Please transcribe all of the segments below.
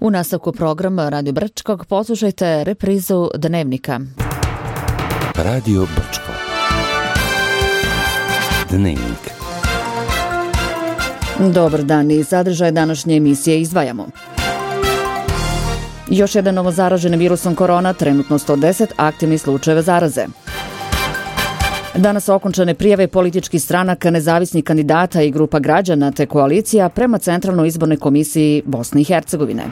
U nastavku programa Radio Brčkog poslušajte reprizu Dnevnika. Radio Brčko. Dnevnik. Dobar dan i sadržaj današnje emisije izdvajamo. Još jedan novo zaražen virusom korona, trenutno 110 aktivnih slučajeva zaraze. Danas okončane prijave političkih stranaka, nezavisnih kandidata i grupa građana te koalicija prema Centralnoj izbornoj komisiji Bosne i Hercegovine.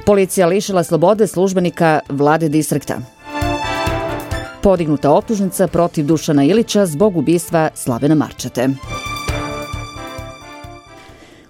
Policija lišila slobode službenika vlade distrikta. Podignuta optužnica protiv Dušana Ilića zbog ubistva Slavena Marčete.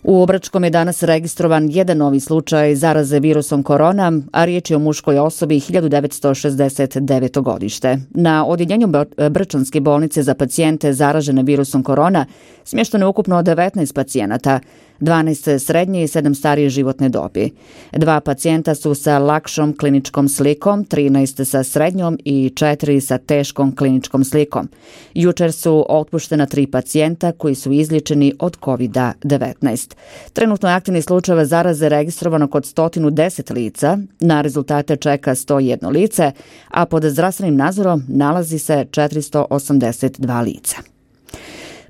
U Brčkom je danas registrovan jedan novi slučaj zaraze virusom korona, a riječ je o muškoj osobi 1969. godište. Na odjeljenju Brčanske bolnice za pacijente zaražene virusom korona smješteno je ukupno 19 pacijenata, 12 srednje i 7 starije životne dobi. 2 pacijenta su sa lakšom kliničkom slikom, 13 sa srednjom i 4 sa teškom kliničkom slikom. Jučer su otpuštena 3 pacijenta koji su izliječeni od COVID-19. Trenutno je aktivni slučajeva zaraze registrovano kod 110 lica, na rezultate čeka 101 lice, a pod zdravstvenim nadzorom nalazi se 482 lica.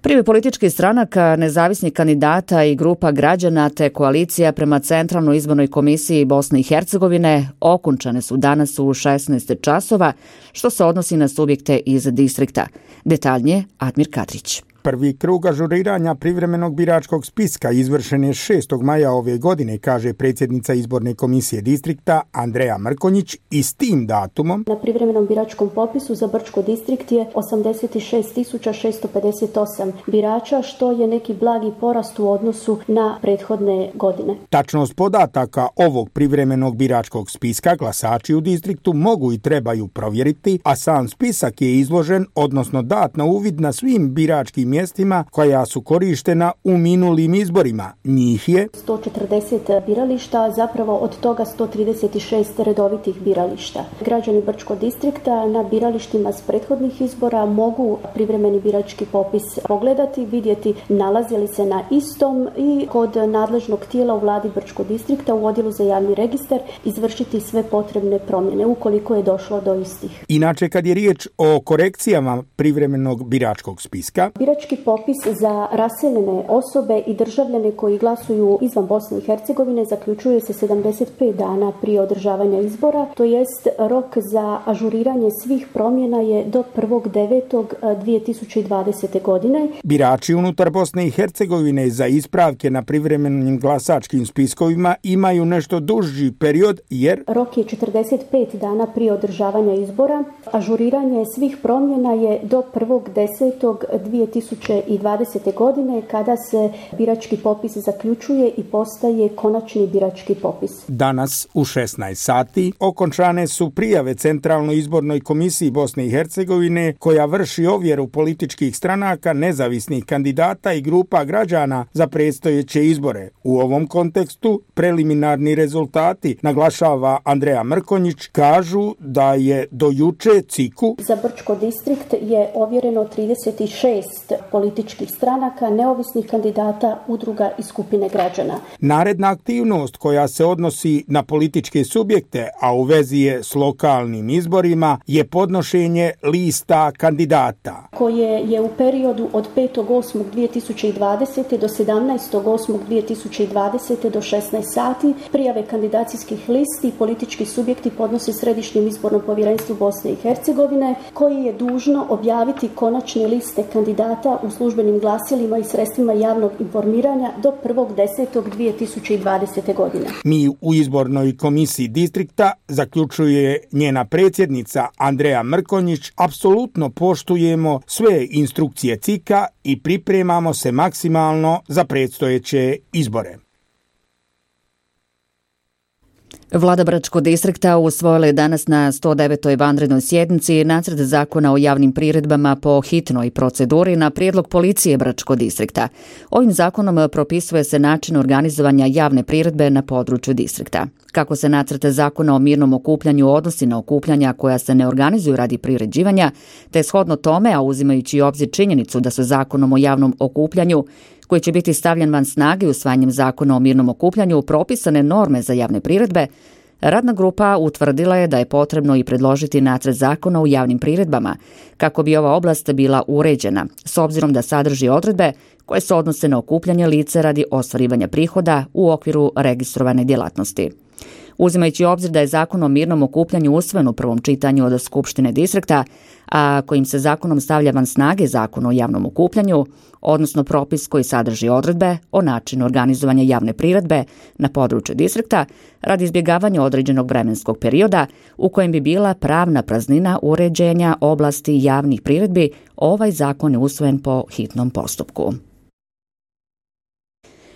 Prijave političkih stranaka, nezavisnih kandidata i grupa građana te koalicija prema Centralnoj izbornoj komisiji Bosne i Hercegovine okončane su danas u 16 časova, što se odnosi na subjekte iz distrikta. Detaljnije Admir Kadrić. Prvi krug ažuriranja privremenog biračkog spiska izvršen je 6. maja ove godine, kaže predsjednica izborne komisije distrikta Andreja Mrkonjić, i s tim datumom na privremenom biračkom popisu za Brčko distrikt je 86.658 birača, što je neki blagi porast u odnosu na prethodne godine. Tačnost podataka ovog privremenog biračkog spiska glasači u distriktu mogu i trebaju provjeriti, a sam spisak je izložen, odnosno dat na uvid na svim biračkim mjestima koja su korištena u minulim izborima. Njih je 140 birališta, zapravo od toga 136 redovitih birališta. Građani Brčko distrikta na biralištima s prethodnih izbora mogu privremeni birački popis pogledati, vidjeti nalazi li se na istom i kod nadležnog tijela u vladi Brčko distrikta u odjelu za javni registar izvršiti sve potrebne promjene ukoliko je došlo do istih. Inače, kad je riječ o korekcijama privremenog biračkog spiska, birački popis za raseljene osobe i državljane koji glasuju izvan Bosne i Hercegovine zaključuje se 75 dana prije održavanja izbora, to jest rok za ažuriranje svih promjena je do 1.9.2020. godine. Birači unutar Bosne i Hercegovine za ispravke na privremenim glasačkim spiskovima imaju nešto duži period jer rok je 45 dana prije održavanja izbora. Ažuriranje svih promjena je do 1.10.2020. godine kada se birački popis zaključuje i postaje konačni birački popis. Danas u 16 sati okončane su prijave Centralnoj izbornoj komisiji Bosne i Hercegovine koja vrši ovjeru političkih stranaka, nezavisnih kandidata i grupa građana za predstojeće izbore. U ovom kontekstu preliminarni rezultati, naglašava Andreja Mrkonjić, kažu da je do juče CIK-u za Brčko distrikt je ovjereno 36 političkih stranaka, neovisnih kandidata, udruga i skupine građana. Naredna aktivnost koja se odnosi na političke subjekte, a u vezi je s lokalnim izborima, je podnošenje lista kandidata koje je u periodu od 5.8.2020. do 17.8.2020. do 16 sati. Prijave kandidacijskih listi politički subjekti podnose Središnjem izbornom povjerenstvu Bosne i Hercegovine, koji je dužno objaviti konačne liste kandidata u službenim glasilima i sredstvima javnog informiranja do 1.10.2020. godine. Mi u izbornoj komisiji distrikta, zaključuje njena predsjednica Andreja Mrkonjić, apsolutno poštujemo sve instrukcije CIK-a i pripremamo se maksimalno za predstojeće izbore. Vlada Brčkog distrikta usvojila je danas na 109. vanrednoj sjednici nacrt zakona o javnim priredbama po hitnoj proceduri na prijedlog policije Brčkog distrikta. Ovim zakonom propisuje se način organizovanja javne priredbe na području distrikta. Kako se nacrt zakona o mirnom okupljanju odnosi na okupljanja koja se ne organizuju radi priređivanja, te shodno tome, a uzimajući u obzir činjenicu da se zakonom o javnom okupljanju koji će biti stavljen van snage usvajanjem zakona o mirnom okupljanju propisane norme za javne priredbe, radna grupa utvrdila je da je potrebno i predložiti nacrt zakona u javnim priredbama, kako bi ova oblast bila uređena, s obzirom da sadrži odredbe koje se odnose na okupljanje lica radi ostvarivanja prihoda u okviru registrovane djelatnosti. Uzimajući obzir da je zakon o mirnom okupljanju usvojen u prvom čitanju od Skupštine distrikta, a kojim se zakonom stavlja van snage zakon o javnom okupljanju, odnosno propis koji sadrži odredbe o načinu organizovanja javne priredbe na području distrikta radi izbjegavanja određenog vremenskog perioda u kojem bi bila pravna praznina uređenja oblasti javnih priredbi, ovaj zakon je usvojen po hitnom postupku.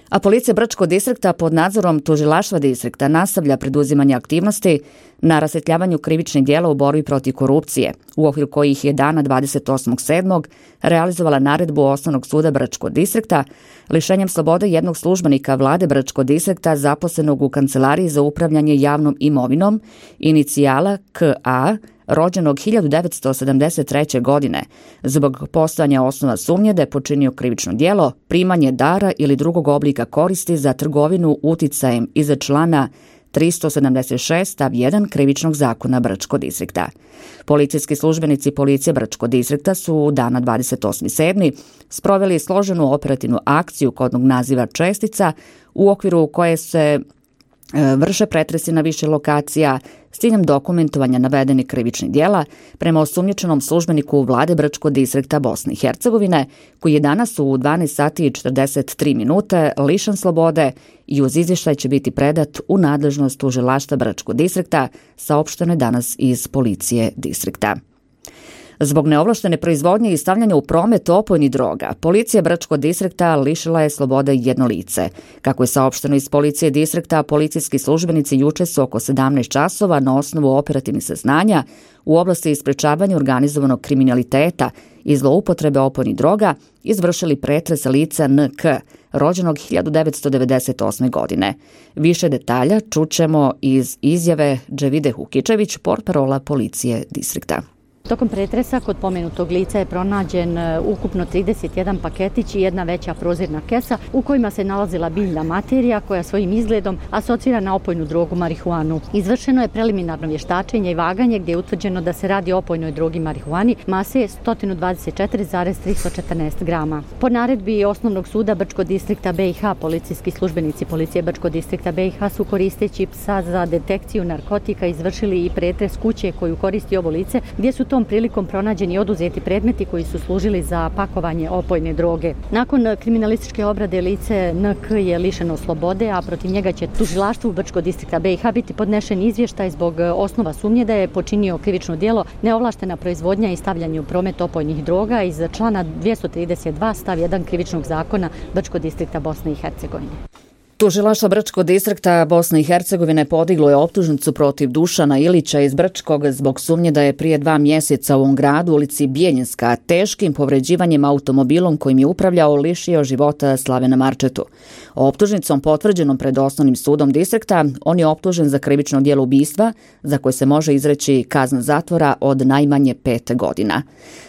A policija Brčkog distrikta pod nadzorom tužilaštva distrikta nastavlja preduzimanje aktivnosti na rasvjetljavanju krivičnih djela u borbi protiv korupcije, u okviru kojih je dana 28.7. realizovala naredbu Osnovnog suda Brčkog distrikta lišenjem slobode jednog službenika vlade Brčkog distrikta zaposlenog u Kancelariji za upravljanje javnom imovinom, inicijala K.A., rođenog 1973. godine, zbog postojanja osnova sumnje da je počinio krivično djelo, primanje dara ili drugog oblika koristi za trgovinu uticajem iza člana 376 stav 1 krivičnog zakona Brčkog distrikta. Policijski službenici policije Brčkog distrikta su dana 28.7. sproveli složenu operativnu akciju kodnog naziva Čestica, u okviru koje se vrše pretresi na više lokacija s ciljem dokumentovanja navedenih krivičnih djela prema osumnjičenom službeniku vlade Brčkog distrikta Bosne i Hercegovine, koji je danas u 12 sati i 43 minute lišen slobode i uz izvještaj će biti predat u nadležnost tužilaštva Brčkog distrikta, saopšteno je danas iz policije distrikta. Zbog neovlaštene proizvodnje i stavljanja u promet opojnih droga, policija Brčkog distrikta lišila je slobode jedno lice. Kako je saopšteno iz policije distrikta, policijski službenici juče su oko 17 časova na osnovu operativnih saznanja u oblasti sprečavanja organizovanog kriminaliteta i zloupotrebe opojnih droga izvršili pretres lica NK, rođenog 1998. godine. Više detalja čućemo iz izjave Dževide Hukičević, portparola policije distrikta. Tokom pretresa kod pomenutog lica je pronađen ukupno 31 paketić i jedna veća prozirna kesa u kojima se nalazila biljna materija koja svojim izgledom asocira na opojnu drogu marihuanu. Izvršeno je preliminarno vještačenje i vaganje gdje je utvrđeno da se radi o opojnoj drogi marihuani mase 124,314 grama. Po naredbi Osnovnog suda Brčkog distrikta BiH, policijski službenici policije Brčkog distrikta BiH su koristeći psa za detekciju narkotika izvršili i pretres kuće koju koristi ovo lice, gdje su tom prilikom pronađeni i oduzeti predmeti koji su služili za pakovanje opojne droge. Nakon kriminalističke obrade lice NK je lišeno slobode, a protiv njega će tužilaštvu Brčkog distrikta BiH biti podnešen izvještaj zbog osnova sumnje da je počinio krivično djelo neovlaštena proizvodnja i stavljanje u promet opojnih droga iz člana 232 stav 1 krivičnog zakona Brčkog distrikta Bosne i Hercegovine. Tužilaštvo Brčkog distrikta Bosne i Hercegovine podiglo je optužnicu protiv Dušana Ilića iz Brčkog zbog sumnje da je prije 2 mjeseca u ovom gradu u ulici Bijeljinska teškim povređivanjem automobilom kojim je upravljao lišio života Slavena Marčetu. Optužnicom potvrđenom pred Osnovnim sudom distrikta on je optužen za krivično djelo ubistva za koje se može izreći kazna zatvora od najmanje 5 godina.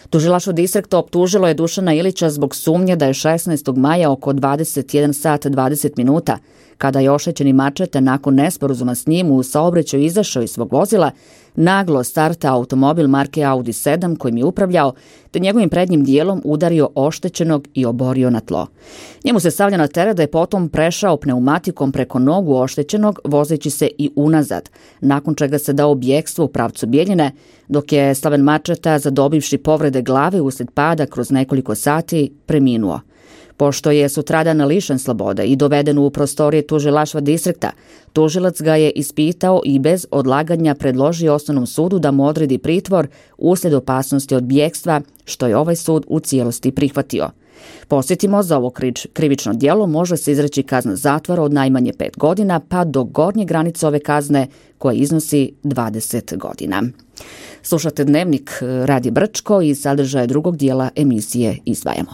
Tužilaštvo distrikta optužilo je Dušana Ilića zbog sumnje da je 16. maja oko 21 sat 20 minuta, kada je oštećeni Marčeta nakon nesporazuma s njim u saobraćaju izašao iz svog vozila, naglo starta automobil marke Audi 7 kojim je upravljao, te njegovim prednjim dijelom udario oštećenog i oborio na tlo. Njemu se stavlja na teret da je potom prešao pneumatikom preko nogu oštećenog, vozeći se i unazad, nakon čega se dao bjekstvo u pravcu Bijeljine, dok je Slaven Marčeta, zadobivši povrede glave uslijed pada kroz nekoliko sati, preminuo. Pošto je sutradan lišen slobode i doveden u prostorije tužilaštva distrikta, tužilac ga je ispitao i bez odlaganja predložio Osnovnom sudu da mu odredi pritvor uslijed opasnosti od bjekstva, što je ovaj sud u cijelosti prihvatio. Posjetimo, za ovo krivično djelo može se izreći kazna zatvora od najmanje 5 godina pa do gornje granice ove kazne koja iznosi 20 godina. Slušate Dnevnik Radija Brčko i sadržaje drugog dijela emisije izdvajamo.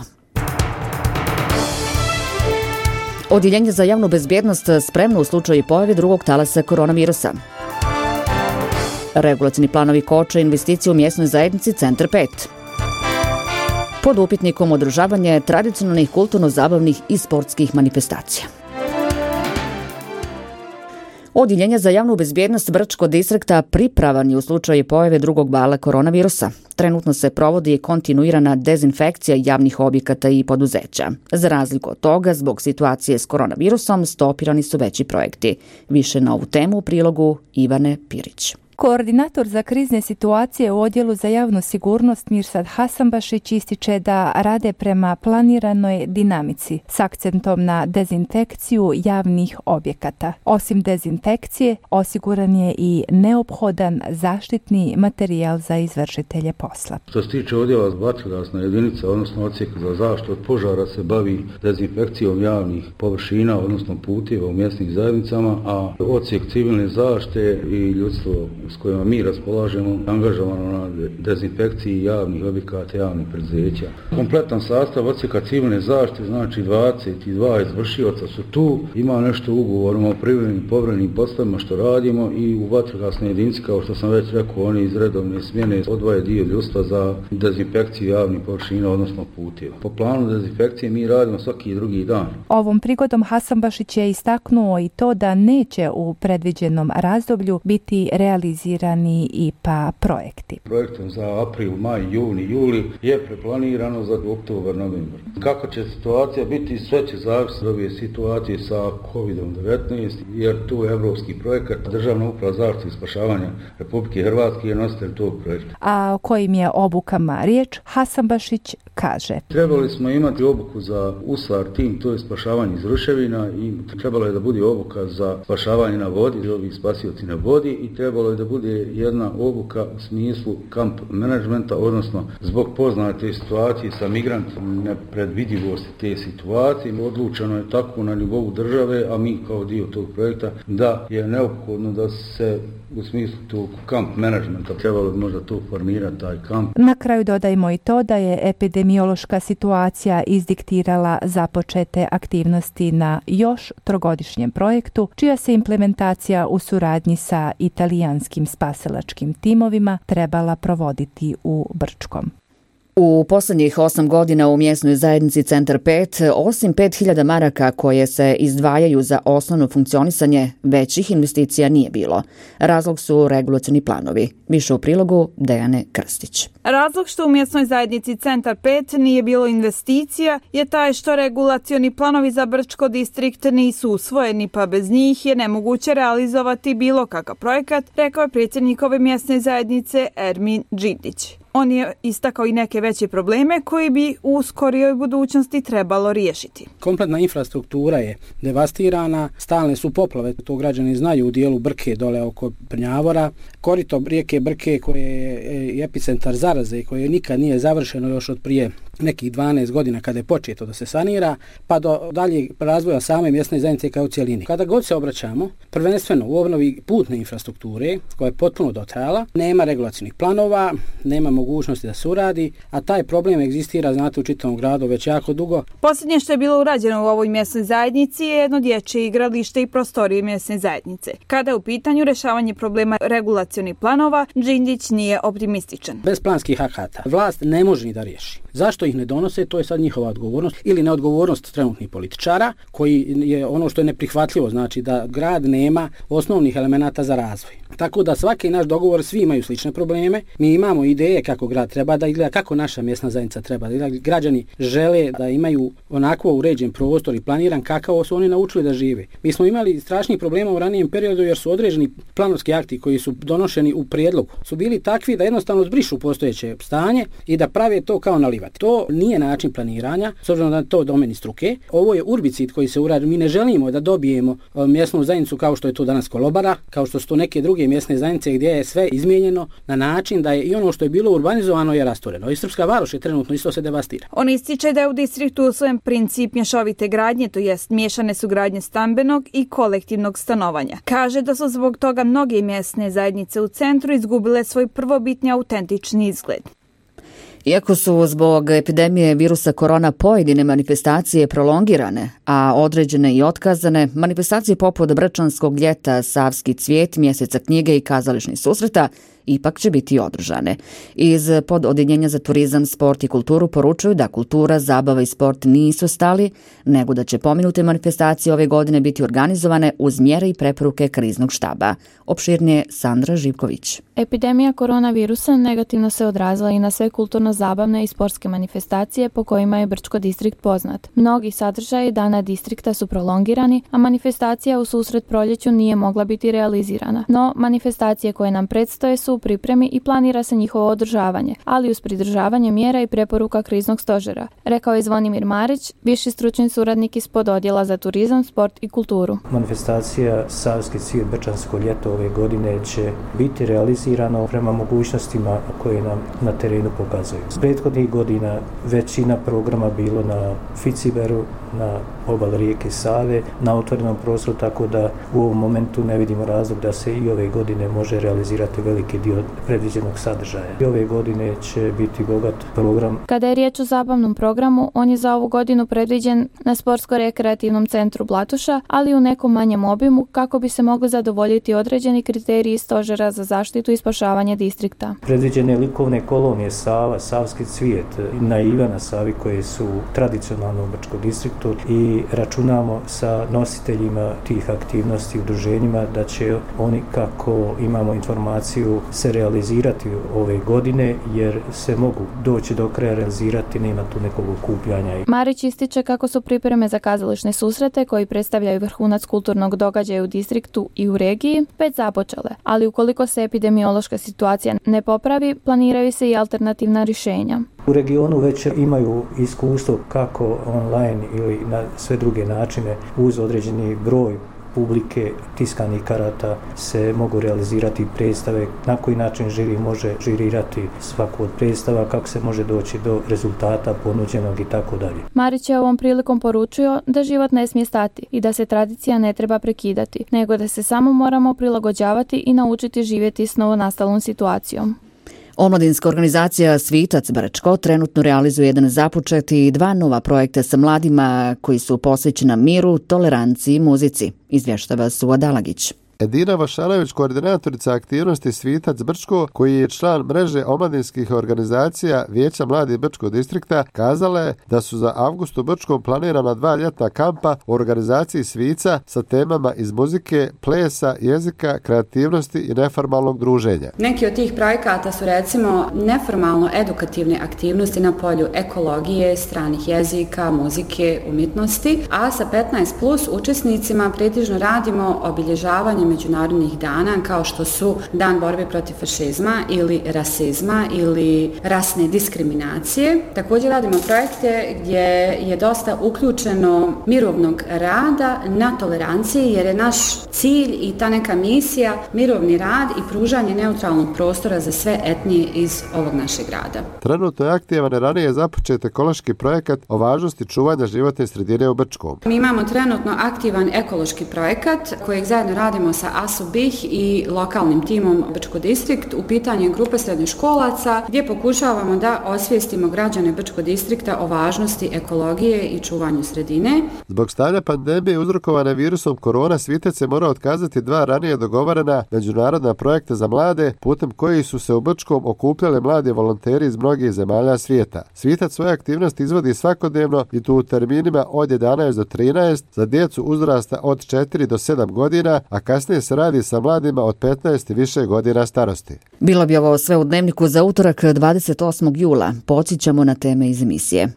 Odjeljenje za javnu bezbjednost spremno u slučaju pojave drugog talasa koronavirusa. Regulacijni planovi koče investicije u mjesnoj zajednici Centar 5. pod upitnikom održavanje tradicionalnih kulturno-zabavnih i sportskih manifestacija. Odjeljenje za javnu bezbjednost Brčkog distrikta pripravan je u slučaju pojave drugog vala koronavirusa. Trenutno se provodi kontinuirana dezinfekcija javnih objekata i poduzeća. Za razliku od toga, zbog situacije s koronavirusom, stopirani su veći projekti. Više na ovu temu u prilogu Ivane Pirić. Koordinator za krizne situacije u Odjelu za javnu sigurnost Mirsad Hasanbašić ističe da rade prema planiranoj dinamici s akcentom na dezinfekciju javnih objekata. Osim dezinfekcije, osiguran je i neophodan zaštitni materijal za izvršitelje posla. Što se tiče odjela vatrogasna jedinica, odnosno odsjek za zaštitu od požara, se bavi dezinfekcijom javnih površina, odnosno puteva u mjesnim zajednicama, a odsjek civilne zaštite i ljudstvo s kojima mi raspolažemo angažovano na dezinfekciji javnih objekata, javnih preduzeća. Kompletan sastav odsjeka civilne zaštite, znači 22 izvršioca su tu, ima nešto u ugovorima o privremenim povremenim poslovima što radimo i u vatrogasnoj jedinici, kao što sam već rekao, oni iz redovne smjene odvaje dio ljudstva za dezinfekciju javnih površina, odnosno puteva. Po planu dezinfekcije mi radimo svaki drugi dan. Ovom prigodom Hasanbašić je istaknuo i to da neće u predviđenom razdoblju biti realizirani IPA projekti. Projektom za april, maj, juni, juli je preplanirano za oktobar, novembar. Kako će situacija biti, sve će zavisiti od ove situacije sa COVID-19, jer tu je evropski projekat. Državna uprava zaštite i spašavanja Republike Hrvatske je nositelj tog projekta. A o kojim je obukama riječ, Hasanbašić kaže. Trebali smo imati obuku za USAR tim, to je spašavanje iz ruševina, i trebalo je da bude obuka za spašavanje na vodi, ovi spasioci na vodi, i trebalo je da bude jedna obuka u smislu kamp menadžmenta, odnosno zbog poznate situacije sa migrantima, nepredvidivosti te situacije. Odlučeno je tako na nivou države, a mi kao dio tog projekta, da je neophodno da se u smislu tog kamp menadžmenta trebalo možda to formirati, taj kamp. Na kraju dodajmo i to da je epidemiološka situacija izdiktirala započete aktivnosti na još trogodišnjem projektu, čija se implementacija u suradnji sa italijanskim spasilačkim timovima trebala provoditi u Brčkom. U posljednjih 8 godina u mjesnoj zajednici Centar 5, osim 5.000 maraka koje se izdvajaju za osnovno funkcionisanje, većih investicija nije bilo. Razlog su regulacioni planovi. Više u prilogu Dejane Krstić. Razlog što u mjesnoj zajednici Centar 5 nije bilo investicija je taj što regulacioni planovi za Brčko distrikt nisu usvojeni, pa bez njih je nemoguće realizovati bilo kakav projekat, rekao je predsjednik ove mjesne zajednice Ermin Džindić. On je istakao i neke veće probleme koji bi u skorijoj budućnosti trebalo riješiti. Kompletna infrastruktura je devastirana, stalne su poplave, to građani znaju u dijelu Brke dole oko Prnjavora. Korito rijeke Brke koje je epicentar zaraze i koje nikad nije završeno još od prije nekih 12 godina kada je početo da se sanira, pa do daljeg razvoja same mjesne zajednice kao cijelini. Kada god se obraćamo, prvenstveno u obnovi putne infrastrukture koja je potpuno dotrajala, nema regulacijnih planova, nema mogućnosti da se uradi, a taj problem egzistira, znate, u čitavom gradu već jako dugo. Posljednje što je bilo urađeno u ovoj mjesnoj zajednici je jedno dječje igralište i prostorije mjesne zajednice. Kada je u pitanju rješavanje problema regulacionih planova, Džindić nije optimističan. Bez planskih akata vlast ne može ni da riješi. Zašto ih ne donose, to je sad njihova odgovornost ili neodgovornost trenutnih političara, koji je ono što je neprihvatljivo, znači da grad nema osnovnih elemenata za razvoj. Tako da svaki naš dogovor, svi imaju slične probleme, mi imamo ideje kako grad treba da izgleda, kako naša mjesna zajednica treba da izgleda. Građani žele da imaju onako uređen prostor i planiran kakav su oni naučili da žive. Mi smo imali strašnih problema u ranijem periodu jer su određeni planovski akti koji su donošeni u prijedlogu su bili takvi da jednostavno zbrišu postojeće stanje i da prave to kao nalivati. To nije način planiranja, s obzirom da je to domeni struke. Ovo je urbicid koji se uradi. Mi ne želimo da dobijemo mjesnu zajednicu kao što je to danas Kolobara, kao što su to neke druge mjesne zajednice gdje je sve izmijenjeno na način da je i ono što je bilo urbanizovano je rastureno. I Srpska Varoš je trenutno isto se devastira. On ističe da je u distriktu usvojen princip mješovite gradnje, to jest miješane su gradnje stambenog i kolektivnog stanovanja. Kaže da su zbog toga mnoge mjesne zajednice u centru izgubile svoj prvobitni autentični izgled. Iako su zbog epidemije virusa korona pojedine manifestacije prolongirane, a određene i otkazane, manifestacije poput Brčanskog ljeta, Savski cvijet, Mjeseca knjige i kazališnih susreta ipak će biti održane. Iz pododjeljenja za turizam, sport i kulturu poručuju da kultura, zabava i sport nisu stali, nego da će pomenute manifestacije ove godine biti organizovane uz mjere i preporuke kriznog štaba. Opširnije Sandra Živković. Epidemija koronavirusa negativno se odrazila i na sve kulturno-zabavne i sportske manifestacije po kojima je Brčko distrikt poznat. Mnogi sadržaji dana distrikta su prolongirani, a manifestacija u susret proljeću nije mogla biti realizirana. No, manifestacije koje nam predstoje su u pripremi i planira se njihovo održavanje, ali uz pridržavanje mjera i preporuka kriznog stožera, rekao je Zvonimir Marić, viši stručni suradnik iz pododjela za turizam, sport i kulturu. Manifestacija Savski cvijet Brčansko ljeto ove godine će biti realizirano prema mogućnostima koje nam na terenu pokazuju. S prethodnih godina većina programa bilo na Ficiberu, na obali rijeke Save, na otvorenom prostoru, tako da u ovom momentu ne vidimo razlog da se i ove godine može realizirati veliki dio predviđenog sadržaja. I ove godine će biti bogat program. Kada je riječ o zabavnom programu, on je za ovu godinu predviđen na Sportsko-rekreativnom centru Blatuša, ali u nekom manjem obimu kako bi se mogli zadovoljiti određeni kriteriji stožera za zaštitu i spašavanje distrikta. Predviđene likovne kolonije Sava, Savski cvijet, naiva na Savi koje su tradicionalno u Brčkom distriktu i računamo sa nositeljima tih aktivnosti, udruženjima, da će oni, kako imamo informaciju, se realizirati ove godine, jer se mogu doći do kraja realizirati, nema tu nekog okupljanja. Marić ističe kako su pripreme za kazališne susrete koji predstavljaju vrhunac kulturnog događaja u distriktu i u regiji već započele, ali ukoliko se epidemiološka situacija ne popravi, planiraju se i alternativna rješenja. U regionu već imaju iskustvo kako online ili na sve druge načine uz određeni broj publike, tiskanih karata se mogu realizirati predstave, na koji način žiri može žirirati svaku od predstava, kako se može doći do rezultata ponuđenog i tako dalje. Marić je ovom prilikom poručio da život ne smije stati i da se tradicija ne treba prekidati, nego da se samo moramo prilagođavati i naučiti živjeti s novonastalom situacijom. Omladinska organizacija Svitac Brčko trenutno realizuje jedan započet i 2 nova projekta sa mladima koji su posvećena miru, toleranciji i muzici, izvještava Suad Alagić. Edina Vašanović, koordinatorica aktivnosti Svitac Brčko, koji je član mreže omladinskih organizacija Vijeća mladih Brčkog distrikta, kazala je da su za avgust u Brčkom planirana 2 ljetna kampa u organizaciji Svica sa temama iz muzike, plesa, jezika, kreativnosti i neformalnog druženja. Neki od tih projekata su recimo neformalno edukativne aktivnosti na polju ekologije, stranih jezika, muzike, umjetnosti, a sa 15+ učesnicima pretežno radimo obilježavanje međunarodnih dana kao što su Dan borbe protiv fašizma ili rasizma ili rasne diskriminacije. Također radimo projekte gdje je dosta uključeno mirovnog rada na toleranciji, jer je naš cilj i ta neka misija mirovni rad i pružanje neutralnog prostora za sve etnije iz ovog našeg grada. Trenutno je aktivan ranije započet ekološki projekat o važnosti čuvanja životne sredine u Brčkom. Mi imamo trenutno aktivan ekološki projekat kojeg zajedno radimo sa ASUBIH i lokalnim timom Brčko distrikt. U pitanju je grupa srednjoškolaca gdje pokušavamo da osvijestimo građane Brčko distrikta o važnosti ekologije i čuvanju sredine. Zbog stanja pandemije uzrokovane virusom korona, Svitac je morao otkazati 2 ranije dogovorena međunarodna projekta za mlade, putem koji su se u Brčkom okupljali mladi volonteri iz mnogih zemalja svijeta. Svitac svoje aktivnosti izvodi svakodnevno i tu u terminima od 11 do 13 za djecu uzrasta od 4 do 7 godina, a kasnije se radi sa mladima od 15 i više godina starosti. Bilo bi ovo sve u dnevniku za utorak 28. jula. Podsjećamo na teme iz emisije.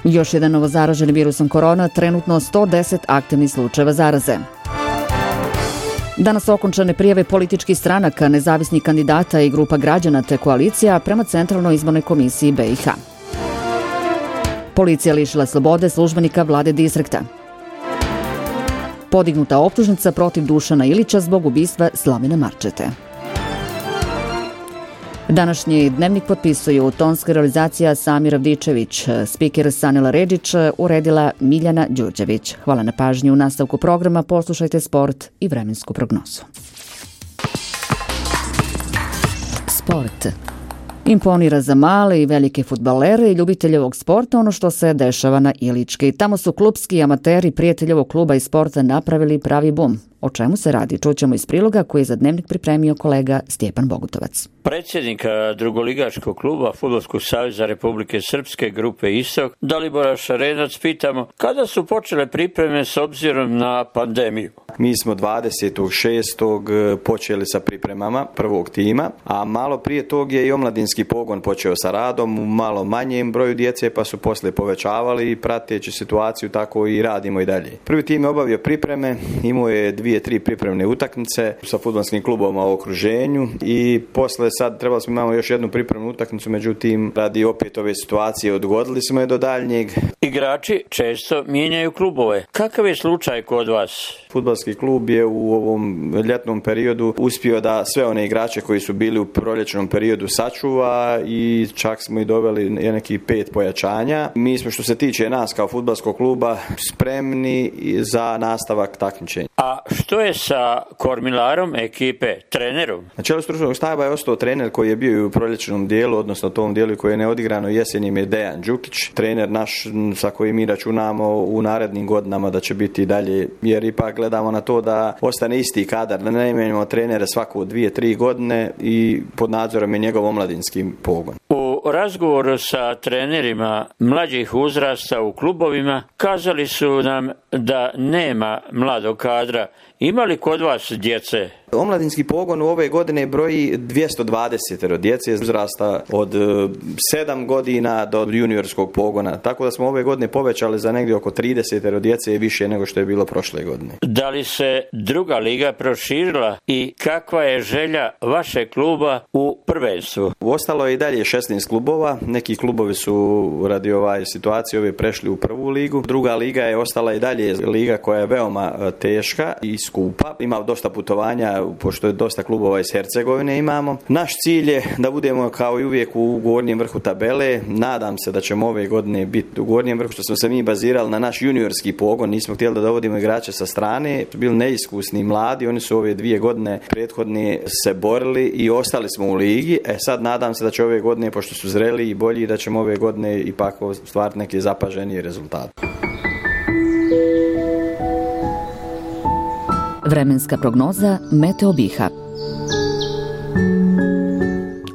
Još jedan novozaraženi virusom korona, trenutno 110 aktivnih slučajeva zaraze. Danas okončane prijave političkih stranaka, nezavisnih kandidata i grupa građana te koalicija prema Centralnoj izbornoj komisiji BiH. Policija lišila slobode službenika vlade distrikta. Podignuta optužnica protiv Dušana Ilića zbog ubistva Slavina Marčete. Današnji dnevnik potpisuju tonska realizacija Samir Avdičević, spiker Sanila Redžić, uredila Miljana Đurđević. Hvala na pažnju. U nastavku programa poslušajte sport i vremensku prognozu. Sport. Imponira za male i velike fudbalere i ljubitelje ovog sporta ono što se dešava na Ilički. Tamo su klupski amateri prijatelji ovog kluba i sporta napravili pravi bum. O čemu se radi? Čućemo iz priloga koji je za Dnevnik pripremio kolega Stjepan Bogutovac. Predsjednika drugoligaškog kluba Fudbalskog saveza Republike Srpske grupe Istok, Dalibora Šarenac, pitamo kada su počele pripreme s obzirom na pandemiju. Mi smo 26. počeli sa pripremama prvog tima, a malo prije tog je i omladinski pogon počeo sa radom u malo manjem broju djece, pa su poslije povećavali i prateći situaciju tako i radimo i dalje. Prvi tim je obavio pripreme, imao je 2-3 pripremne utakmice sa fudbalskim klubovima u okruženju i posle sad trebali smo imamo još jednu pripremnu utakmicu, međutim radi opet ove situacije odgodili smo je do daljnjeg. Igrači često mijenjaju klubove. Kakav je slučaj kod vas? Fudbalski klub je u ovom ljetnom periodu uspio da sve one igrače koji su bili u proljećnom periodu sačuva i čak smo i doveli neki 5 pojačanja. Mi smo što se tiče nas kao fudbalskog kluba spremni za nastavak takmičenja. A što je sa kormilarom ekipe, trenerom? Na čelu stručnog štaba je ostao trener koji je bio i u proljećnom dijelu, odnosno tom dijelu koji je neodigrano jesenjem je Dejan Đukić. Trener naš sa kojim mi računamo u narednim godinama da će biti dalje, jer ipak gledamo na to da ostane isti kadar, da ne menjamo trenere svako 2-3 godine i pod nadzorom je njegov omladinski pogon. U razgovoru sa trenerima mlađih uzrasta u klubovima kazali su nam da nema mladog kadra. Ima li kod vas djece? Omladinski pogon u ove godine broji 220 djece uzrasta od 7 godina do juniorskog pogona. Tako da smo ove godine povećali za negdje oko 30 djece više nego što je bilo prošle godine. Da li se druga liga proširila i kakva je želja vašeg kluba u prvenstvu? Ostalo je i dalje 16 klubova. Neki klubovi su radi situacije ove prešli u prvu ligu. Druga liga je ostala i dalje liga koja je veoma teška i skupa. Ima dosta putovanja, pošto je dosta klubova iz Hercegovine imamo. Naš cilj je da budemo kao i uvijek u gornjem vrhu tabele. Nadam se da ćemo ove godine biti u gornjem vrhu, što smo se mi bazirali na naš juniorski pogon. Nismo htjeli da dovodimo igrače sa strane. Bili neiskusni mladi, oni su ove 2 godine prethodne se borili i ostali smo u ligi. Sad nadam se da će ove godine, pošto su zreli i bolji, da ćemo ove godine ipak stvariti neke zapaženije rezultate. Vremenska prognoza Meteo Biha.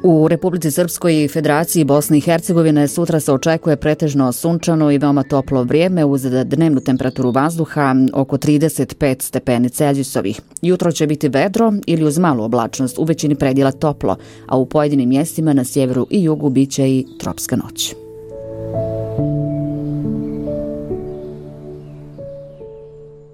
U Republici Srpskoj i Federaciji Bosne i Hercegovine sutra se očekuje pretežno sunčano i veoma toplo vrijeme uz dnevnu temperaturu vazduha oko 35 stepeni Celzijusovih. Jutro će biti vedro ili uz malu oblačnost, u većini predjela toplo, a u pojedinim mjestima na sjeveru i jugu biće i tropska noć.